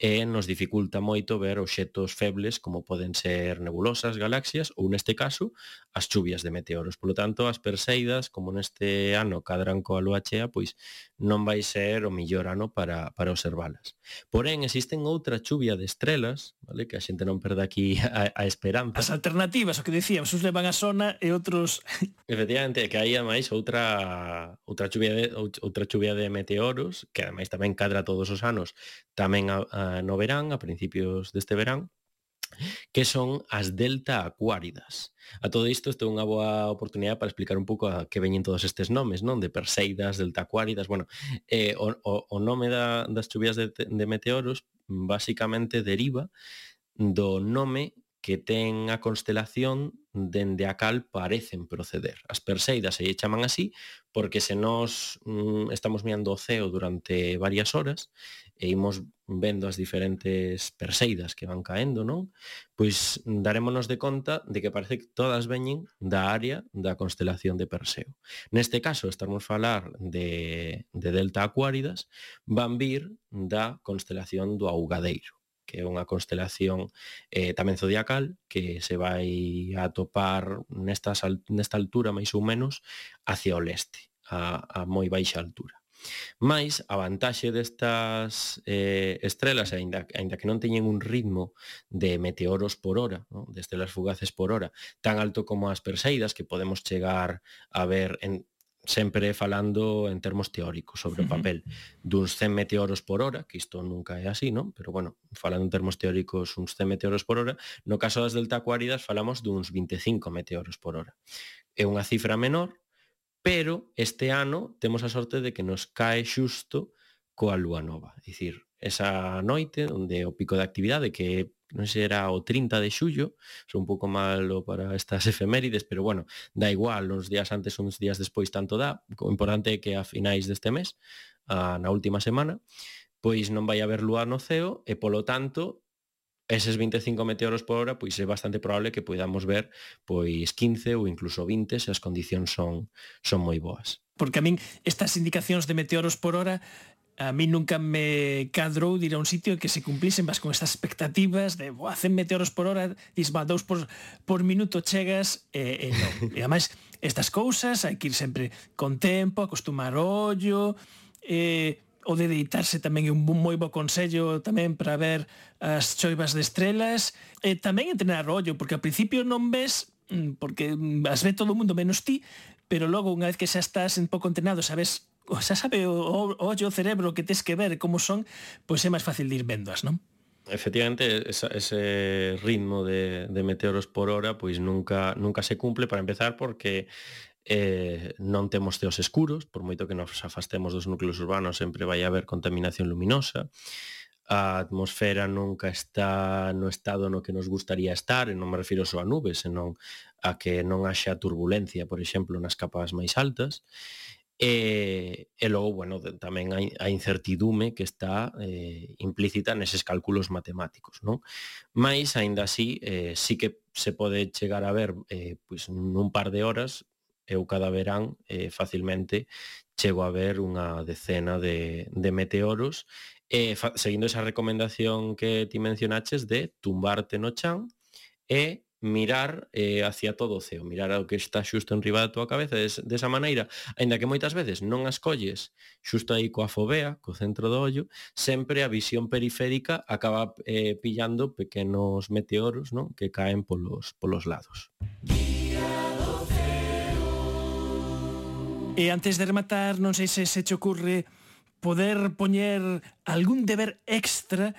e nos dificulta moito ver obxectos febles como poden ser nebulosas, galaxias ou, neste caso, as chuvias de meteoros. Polo tanto, as Perseidas, como neste ano cadran coa lúa chea, pois non vai ser o millor ano para observalas. Porén, existen outra chuvia de estrelas, vale, que a xente non perde aquí a esperanza. As alternativas, o que decíamos, uns levan a sona e outros... Efectivamente, que hai ademais outra chuvia de meteoros, que ademais tamén cadra todos os anos, tamén no verán, a principios deste verán, que son as delta acuáridas. A todo isto é unha boa oportunidade para explicar un pouco a que veñen todos estes nomes, non? De Perseidas, delta acuáridas, bueno, o nome das chuvias de meteoros basicamente deriva do nome que ten a constelación dende a cal parecen proceder. As Perseidas se chaman así porque se nós estamos mirando o ceo durante varias horas e imos vendo as diferentes Perseidas que van caendo, non? Pois darémonos de conta de que parece que todas veñen da área da constelación de Perseo. Neste caso, estamos a falar de delta acuáridas, van vir da constelación do Augadeiro, que é unha constelación tamén zodiacal que se vai a atopar nesta altura máis ou menos hacia o leste, a moi baixa altura. Mais a vantaxe destas estrelas, aínda que non teñen un ritmo de meteoros por hora, ¿no? De estrelas fugaces por hora, tan alto como as Perseidas, que podemos chegar a ver sempre falando en termos teóricos sobre o papel duns 100 meteoros por hora, que isto nunca é así, non? Pero bueno, falando en termos teóricos uns 100 meteoros por hora, no caso das delta acuáridas falamos duns 25 meteoros por hora. É unha cifra menor, pero este ano temos a sorte de que nos cae xusto coa lúa nova. É dicir, esa noite onde o pico de actividade, que non sei, era o 30 de xullo, son un pouco malo para estas efemérides, pero bueno, dá igual, uns días antes, uns días despois tanto dá. O importante é que a finais deste mes, na última semana, pois non vai haber lúa no ceo e, polo tanto, eses 25 meteoros por hora, pois é bastante probable que podamos ver pois 15 ou incluso 20 se as condicións son moi boas. Porque a min estas indicacións de meteoros por hora a mí nunca me cadrou de ir a un sitio que se cumplisen vas con estas expectativas de 100 meteoros por hora, dis 2 por minuto chegas e non. E ademais estas cousas hai que ir sempre con tempo, acostumar o ollo, o de deitarse tamén é un moi bo consello tamén para ver as choivas de estrelas, e tamén entrenar o ollo, porque ao principio non ves, porque as ve todo o mundo menos ti, pero logo unha vez que xa estás un pouco entrenado, sabes, xa sabe o ollo, o cerebro que tes que ver como son, pois é máis fácil de ir vendoas, non? Efectivamente, ese ritmo de meteoros por hora pois nunca se cumple, para empezar, porque non temos ceos escuros, por moito que nos afastemos dos núcleos urbanos sempre vai haber contaminación luminosa, a atmosfera nunca está no estado no que nos gustaría estar, e non me refiro só a nubes, senón a que non haxa turbulencia, por exemplo, nas capas máis altas. E logo, bueno, tamén a incertidume que está implícita neses cálculos matemáticos, non? Mais, aínda así, sí que se pode chegar a ver pois nun par de horas. Eu cada verán facilmente chego a ver unha decena de meteoros, seguindo esa recomendación que ti mencionaches de tumbarte no chan e mirar hacia todo o ceo, mirar ao que está xusto enriba da túa cabeza. Desa maneira, aínda que moitas veces non as colles xusto aí coa fovea, co centro do ollo, sempre a visión periférica acaba pillando pequenos meteoros, non? Que caen polos lados. E antes de rematar, non sei se te ocurre poder poñer algún deber extra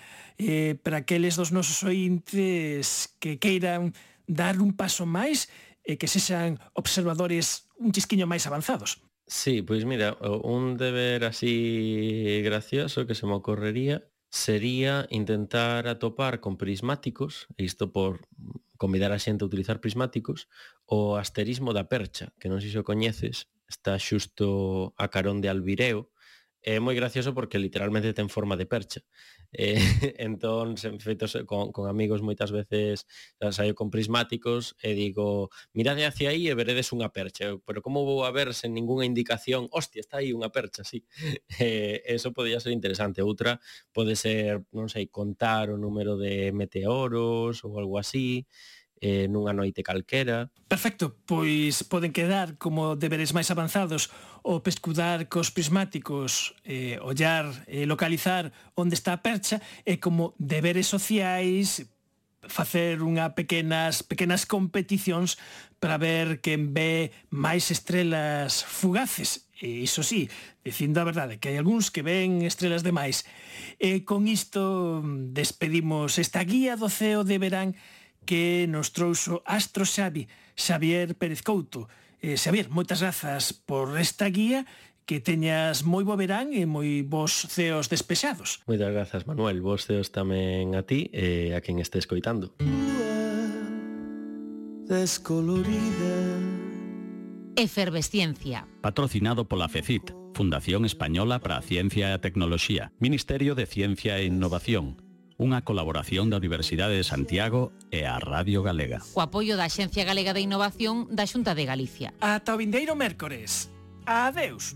para aqueles dos nosos ointes que queiran dar un paso máis e que sexan observadores un chisquiño máis avanzados. Sí, pois mira, un deber así gracioso que se me ocorrería sería intentar atopar con prismáticos, e isto por convidar a xente a utilizar prismáticos, o asterismo da Percha, que non sei se o coñeces, está xusto a carón de Albireo. É moi gracioso porque literalmente ten forma de percha. Entón, feitos con amigos moitas veces saio con prismáticos e digo, mirade hacia aí e veredes unha percha. Pero como vou a ver sen ningunha indicación? Hostia, está aí unha percha, sí. Eso podría ser interesante. Outra pode ser, non sei, contar o número de meteoros ou algo así. nunha noite calquera. Perfecto, pois poden quedar como deberes máis avanzados o pescudar cos prismáticos, ollar e localizar onde está a percha, e como deberes sociais facer pequenas competicións para ver quen ve máis estrelas fugaces. E iso sí, dicindo a verdade, que hai algúns que ven estrelas demais. E con isto despedimos esta guía do ceo de verán que nos trouxo Astro Xavier Pérez Couto. Xavier, moitas grazas por esta guía, que teñas moi bo verán e moi bons ceos despexados. Moitas grazas, Manuel, bons ceos tamén a ti e a quen este escoitando. Descolorida. Efervesciencia. Patrocinado pola FECIT, Fundación Española para a Ciencia e a Tecnoloxía, Ministerio de Ciencia e Innovación, unha colaboración da Universidade de Santiago e a Radio Galega. O apoio da Axencia Galega de Innovación da Xunta de Galicia. Ata o vindeiro mércores. Adeus.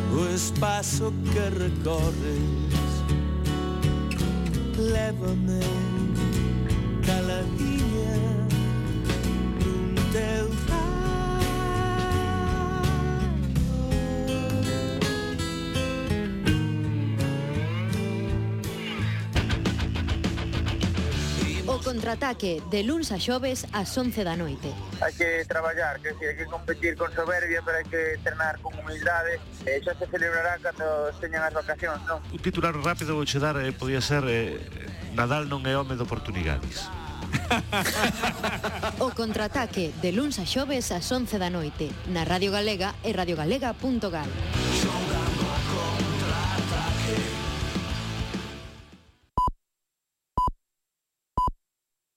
O espazo que recorres, lévame caladinha nun teu O contraataque de luns a xoves ás 11 da noite. Hai que traballar, que hai que competir con soberbia, pero hai que entrenar con humildade. Xa se celebrará cando teñan as vacacións, non? Un titular rápido vou che dar, podía ser Nadal non é home de oportunidades. O contraataque de luns a xoves ás 11 da noite na Radio Galega e radiogalega.gal.